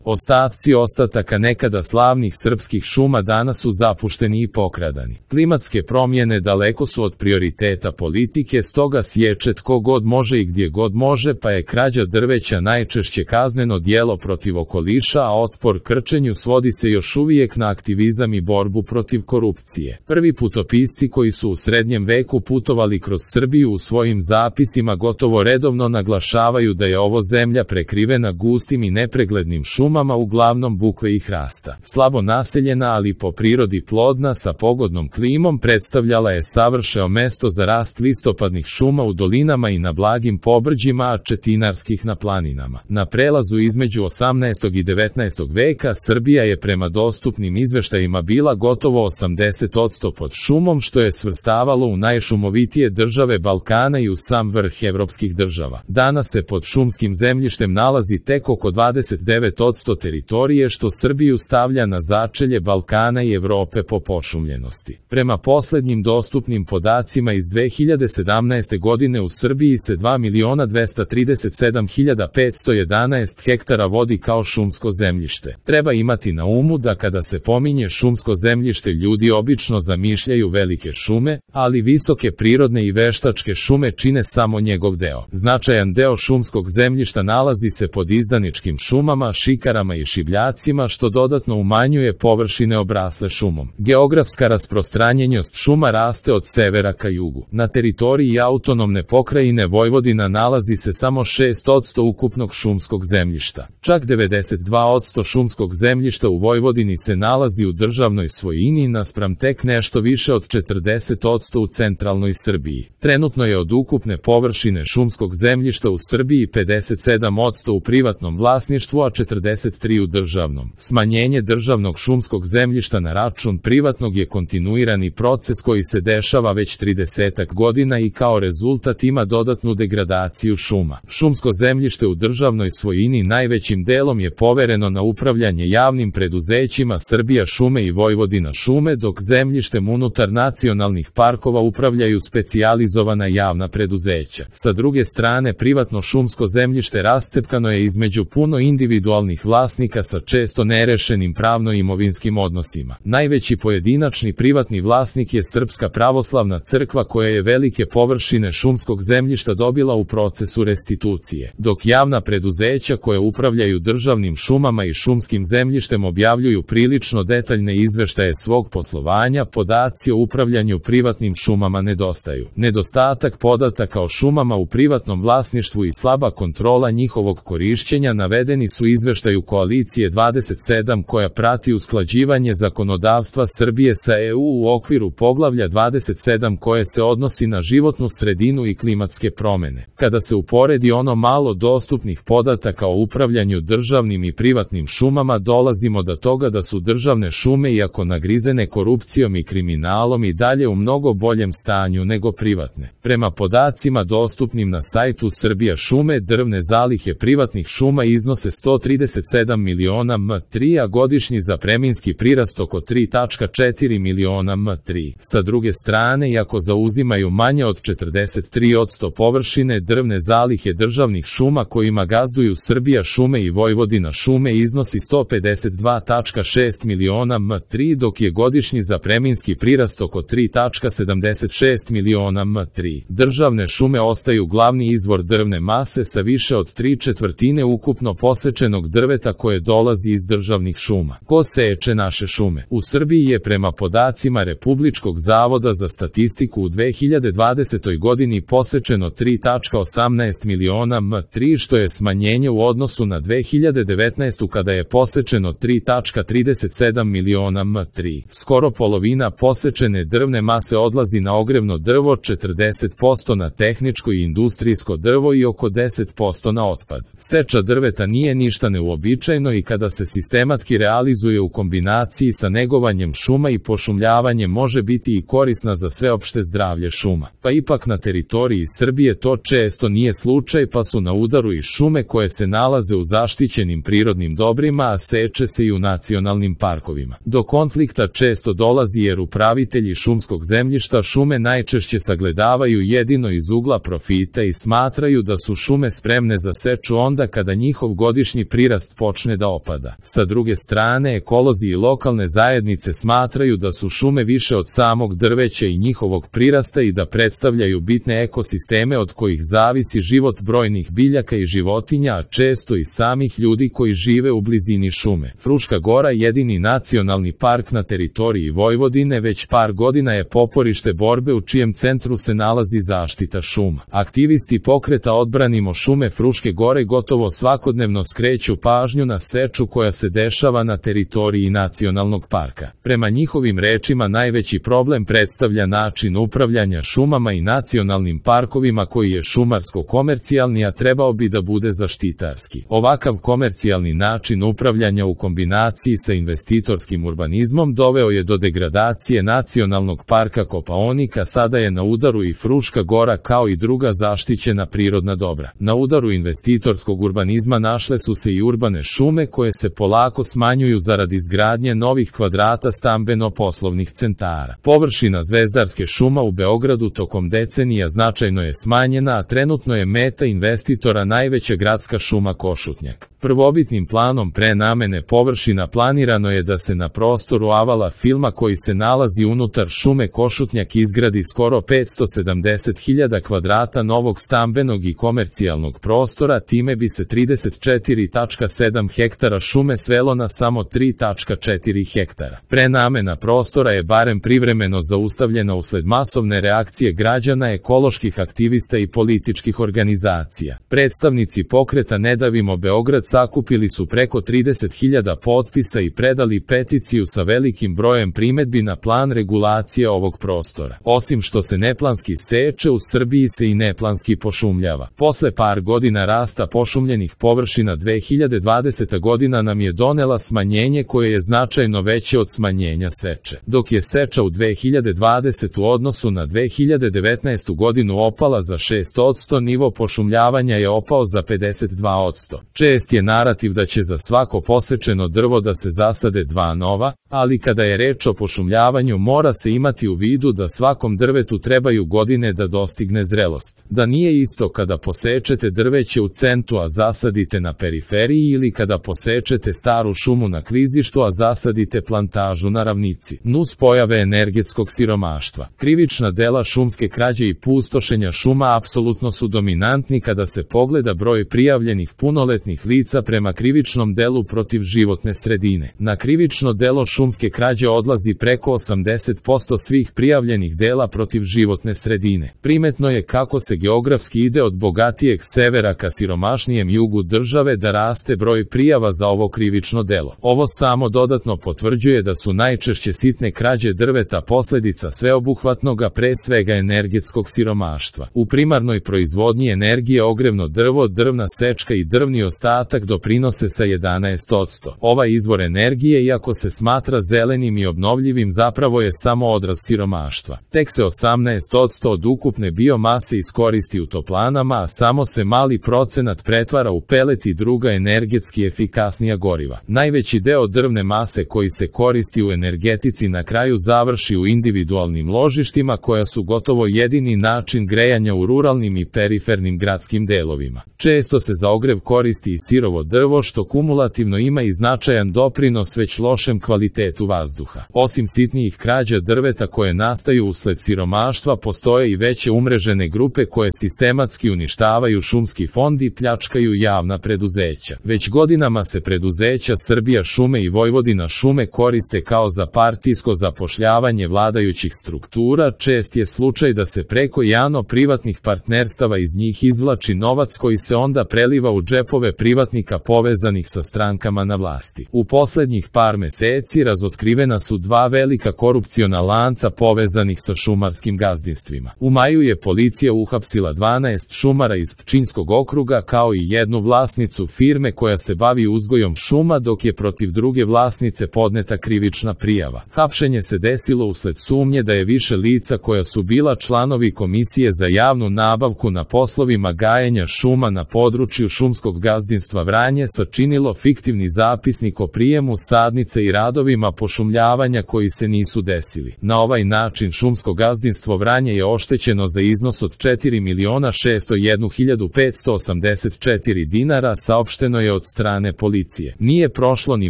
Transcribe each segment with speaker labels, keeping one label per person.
Speaker 1: Ostaci ostataka nekada slavnih srpskih šuma danas su zapušteni i pokradani. Klimatske promjene daleko su od prioriteta politike, stoga sječe tko god može i gdje god može, pa je krađa drveća najčešće kazneno djelo protiv okoliša, a otpor krčenju svodi se još uvijek na aktivizam i borbu protiv korupcije. Prvi putopisci koji su u srednjem veku putovali kroz Srbiju u svojim zapisima gotovo redovno naglašavaju da je ovo zemlja prekrivena gustim i nepreglednim šumama, uglavnom bukve i hrasta. Slabo naseljena, ali po prirodi plodna, sa pogodnom klimom, predstavljala je savršeno mesto za rast listopadnih šuma u dolinama i na blagim pobrđima, a četinarskih na planinama. Na prelazu između 18. i 19. veka Srbija je prema dostupnim izveštajima bila gotovo 80% pod šumom, što je svrstavalo u najšumovitije države Balkana i u sam vrh evropskih država. Danas se pod šumskim zemljištem nalazi tek oko 29% teritorije, što Srbiju stavlja na začelje Balkana i Evrope po pošumljenosti. Prema poslednjim dostupnim podacima iz 2017. godine u Srbiji se 2.237.511 hektara vodi kao šumsko zemljište. Treba imati na umu da kada se pominje šumsko zemljište ljudi obično zamišljaju velike šume, ali visoke prirodne i veštačke šume čine samo njegov deo. Značajan deo šumskog zemljišta nalazi se pod izdaničkim šumama, šikarama i šibljacima, što dodatno umanjuje površine obrasle šumom. Geografska rasprostranjenost šuma raste od severa ka jugu. Na teritoriji autonomne pokrajine Vojvodina nalazi se samo 6% ukupnog šumskog zemljišta. Čak 92% šumskog zemljišta u Vojvodini se nalazi u državnoj svojini, naspram tek nešto više od 40% u centralnoj Srbiji. Trenutno je od ukupne površine šumskog zemljišta u Srbiji 57% u privatnom vlasništvu, a 43% u državnom. Smanjenje državnog šumskog zemljišta na račun privatnog je kontinuirani proces koji se dešava već 30 godina i kao rezultat ima dodatnu degradaciju šuma. Šumsko zemljište u državnoj svojini najvećim delom je povereno na upravljanje javnim preduzećima Srbija šume i Vojvodina šume, dok zemljištem unutar nacionalnih parkova upravljaju specijalizovana javna preduzeća. Sa druge strane, privatno šumsko zemljište rascepkano je između puno individualnih vlasnika sa često nerešenim pravno-imovinskim odnosima. Najveći pojedinačni privatni vlasnik je Srpska pravoslavna crkva, koja je velike površine šumskog zemljišta dobila u procesu restitucije, dok javna preduzeća koje upravljaju državnim šumama i šumskim zemljištem objavljuju prilično detaljne izveštaje svog poslovanja. Podaci o upravljanju privatnim šumama nedostaju. Nedostatak podataka o šumama u privatnom vlasništvu i slaba kontrola njihovog korišćenja navedeni su u izveštaju Koalicije 27 koja prati usklađivanje zakonodavstva Srbije sa EU u okviru poglavlja 27 koje se odnosi na životnu sredinu i klimatske promjene. Kada se uporedi ono malo dostupnih podataka o upravljanju državnim i privatnim šumama, dolazimo do toga da su državne šume, iako nagrizene korupcijom i kriminalom, i dalje u mnogo boljem stanju nego privatne. Prema podacima dostupnim na sajtu Srbija šume, drvne zalihe privatnih šuma iznose 137 miliona m3, a godišnji zapreminski prirast oko 3,4 miliona m3. Sa druge strane, iako zauzimaju manje od 43% površine, drvne zalihe državnih šuma kojima gazduju Srbija šume i Vojvodina šume iznosi 152,6 miliona m3, dok je godišnji zapreminski prirast oko 3,76 miliona m3. Državne šume ostaju glavni izvor drvne mase sa više od 3/4 ukupno posečenog drveta koje dolazi iz državnih šuma. Ko seče naše šume? U Srbiji je prema podacima Republičkog zavoda za statistiku u 2020. godini posečeno 3,18 miliona m3, što je smanjenje u odnosu na 2019. kada je posečeno 3,37 miliona m3. Skoro polovina posečene drvne mase odlazi na ogrevno drvo, 40% na tehničko i industrijsko drvo i oko 10% na otpad. Seča drveta nije ništa neuobičajeno i kada se sistematski realizuje u kombinaciji sa negovanjem šuma i pošumljavanjem može biti i korisna za sveopšte zdravlje šuma. Pa ipak na teritoriji Srbije to često nije slučaj, pa su na udaru i šume koje se nalaze u zaštićenim prirodnim dobrima, a seče se i u nacionalnim parkovima. Do konflikta često dolazi jer upravitelji šumskog zemljišta šume najčešće sagledavaju jedino iz ugla profita i smatraju da su šume spremne za seču onda kada njihov godišnji prirast rodnost počne da opada. Sa druge strane, ekolozi i lokalne zajednice smatraju da su šume više od samog drveća i njihovog prirasta i da predstavljaju bitne ekosisteme od kojih zavisi život brojnih biljaka i životinja, a često i samih ljudi koji žive u blizini šume. Fruška Gora, jedini nacionalni park na teritoriji Vojvodine, već par godina je poporište borbe u čijem centru se nalazi zaštita šuma. Aktivisti pokreta Odbranimo šume Fruške Gore gotovo svakodnevno skreću pažnju na seču koja se dešava na teritoriji nacionalnog parka. Prema njihovim rečima, najveći problem predstavlja način upravljanja šumama i nacionalnim parkovima koji je šumarsko-komercijalni, a trebao bi da bude zaštitarski. Ovakav komercijalni način upravljanja u kombinaciji sa investitorskim urbanizmom doveo je do degradacije nacionalnog parka Kopaonik, a sada je na udaru i Fruška Gora kao i druga zaštićena prirodna dobra. Na udaru investitorskog urbanizma našle su se i urbane šume koje se polako smanjuju zarad izgradnje novih kvadrata stambeno-poslovnih centara. Površina Zvezdarske šuma u Beogradu tokom decenija značajno je smanjena, a trenutno je meta investitora najveća gradska šuma Košutnjak. Prvobitnim planom prenamene površina planirano je da se na prostoru Avala filma koji se nalazi unutar šume Košutnjak izgradi skoro 570.000 kvadrata novog stambenog i komercijalnog prostora, time bi se 34,7 hektara šume svelo na samo 3,4 hektara. Prenamena prostora je barem privremeno zaustavljena usled masovne reakcije građana, ekoloških aktivista i političkih organizacija. Predstavnici pokreta Ne davimo Beograd sakupili su preko 30.000 potpisa i predali peticiju sa velikim brojem primedbi na plan regulacije ovog prostora. Osim što se neplanski seče, u Srbiji se i neplanski pošumljava. Posle par godina rasta pošumljenih površina, 2020. godina nam je donela smanjenje koje je značajno veće od smanjenja seče. Dok je seča u 2020. u odnosu na 2019. godinu opala za 6%, nivo pošumljavanja je opao za 52%. Čest je narativ da će za svako posečeno drvo da se zasade 2 nova, ali kada je reč o pošumljavanju mora se imati u vidu da svakom drvetu trebaju godine da dostigne zrelost. Da nije isto kada posečete drveće u centru a zasadite na periferiji ili kada posečete staru šumu na klizištu a zasadite plantažu na ravnici. Nus pojave energetskog siromaštva. Krivična dela šumske krađe i pustošenja šuma apsolutno su dominantni kada se pogleda broj prijavljenih punoletnih lica prema krivičnom delu protiv životne sredine. Na krivično delo šumske krađe odlazi preko 80% svih prijavljenih dela protiv životne sredine. Primetno je kako se geografski ide od bogatijeg severa ka siromašnijem jugu države da raste broj prijava za ovo krivično delo. Ovo samo dodatno potvrđuje da su najčešće sitne krađe drveta posledica sveobuhvatnog, pre svega energetskog siromaštva. U primarnoj proizvodnji energije ogrevno drvo, drvna sečka i drvni ostatak doprinose sa 11%. Ovaj izvor energije, iako se smatra zelenim i obnovljivim, zapravo je samo odraz siromaštva. Tek se 18% od ukupne biomase iskoristi u toplanama, a samo se mali procenat pretvara u pelet i druga energetski efikasnija goriva. Najveći deo drvne mase koji se koristi u energetici na kraju završi u individualnim ložištima koja su gotovo jedini način grejanja u ruralnim i perifernim gradskim delovima. Često se za ogrev koristi i sirovo drvo, što kumulativno ima i značajan doprinos već lošem kvalitetu vazduha. Osim sitnijih krađa drveta koje nastaju usled siromaštva, postoje i veće umrežene grupe koje sistematski uništavaju šumski fond i pljačkaju javna preduzeća. Već godinama se preduzeća Srbija šume i Vojvodina šume koriste kao za partijsko zapošljavanje vladajućih struktura. Čest je slučaj da se preko javno-privatnih partnerstava iz njih izvlači novac koji se onda preliva u džepove privatnika povezanih sa strankama na vlasti. U poslednjih par meseci razotkrivena su 2 velika korupciona lanca povezanih sa šumarskim gazdinstvima. U maju je policija uhapsila 12 šumara iz Pčinjskog okruga kao i jednu vlasnicu firme koja se bavi uzgojom šuma, dok je protiv druge vlasnice podneta krivična prijava. Hapšenje se desilo usled sumnje da je više lica koja su bila članovi Komisije za javnu nabavku na poslovima gajenja šuma na području šumskog gazdinstva Vranje sačinilo fiktivni zapisnik o prijemu sadnice i radovima pošumljavanja koji se nisu desili. Na ovaj način šumsko gazdinstvo Vranje je oštećeno za iznos od 4.601.584 dinara, saopšteno je od od strane policije. Nije prošlo ni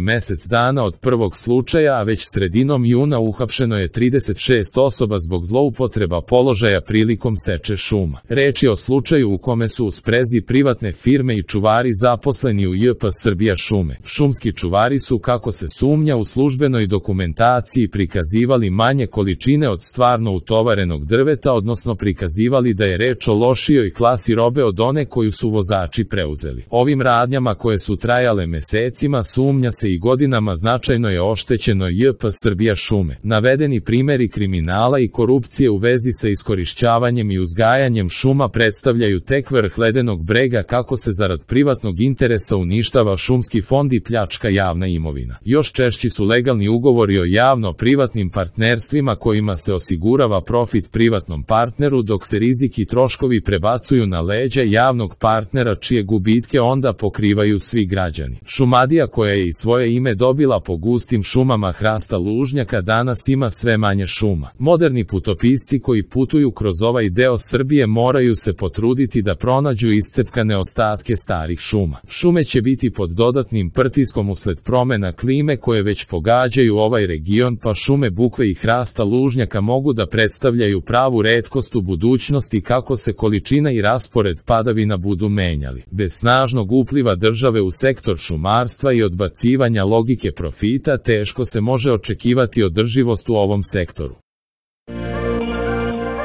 Speaker 1: mesec dana od prvog slučaja, a već sredinom juna uhapšeno je 36 osoba zbog zloupotreba položaja prilikom seče šuma. Reč je o slučaju u kome su u sprezi privatne firme i čuvari zaposleni u JP Srbija šume. Šumski čuvari su, kako se sumnja, u službenoj dokumentaciji prikazivali manje količine od stvarno utovarenog drveta, odnosno prikazivali da je reč o lošijoj klasi robe od one koju su vozači preuzeli. Ovim radnjama, koje su trajale mesecima, sumnja se i godinama, značajno je oštećeno JP Srbija šume. Navedeni primeri kriminala i korupcije u vezi sa iskorišćavanjem i uzgajanjem šuma predstavljaju tek vrh ledenog brega kako se zarad privatnog interesa uništava šumski fond i pljačka javna imovina. Još češći su legalni ugovori o javno-privatnim partnerstvima kojima se osigurava profit privatnom partneru, dok se rizik i troškovi prebacuju na leđa javnog partnera, čije gubitke onda pokrivaju svi građani. Šumadija, koja je i svoje ime dobila po gustim šumama hrasta lužnjaka, danas ima sve manje šuma. Moderni putopisci koji putuju kroz ovaj deo Srbije moraju se potruditi da pronađu iscepkane ostatke starih šuma. Šume će biti pod dodatnim pritiskom usled promena klime koje već pogađaju ovaj region, pa šume bukve i hrasta lužnjaka mogu da predstavljaju pravu retkost u budućnosti kako se količina i raspored padavina budu menjali. Bez snažnog upliva države u sektor šumarstva i odbacivanja logike profita, teško se može očekivati održivost u ovom sektoru.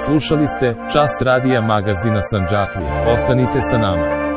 Speaker 1: Slušali ste Čas radija magazina Sandžaklija. Ostanite sa nama.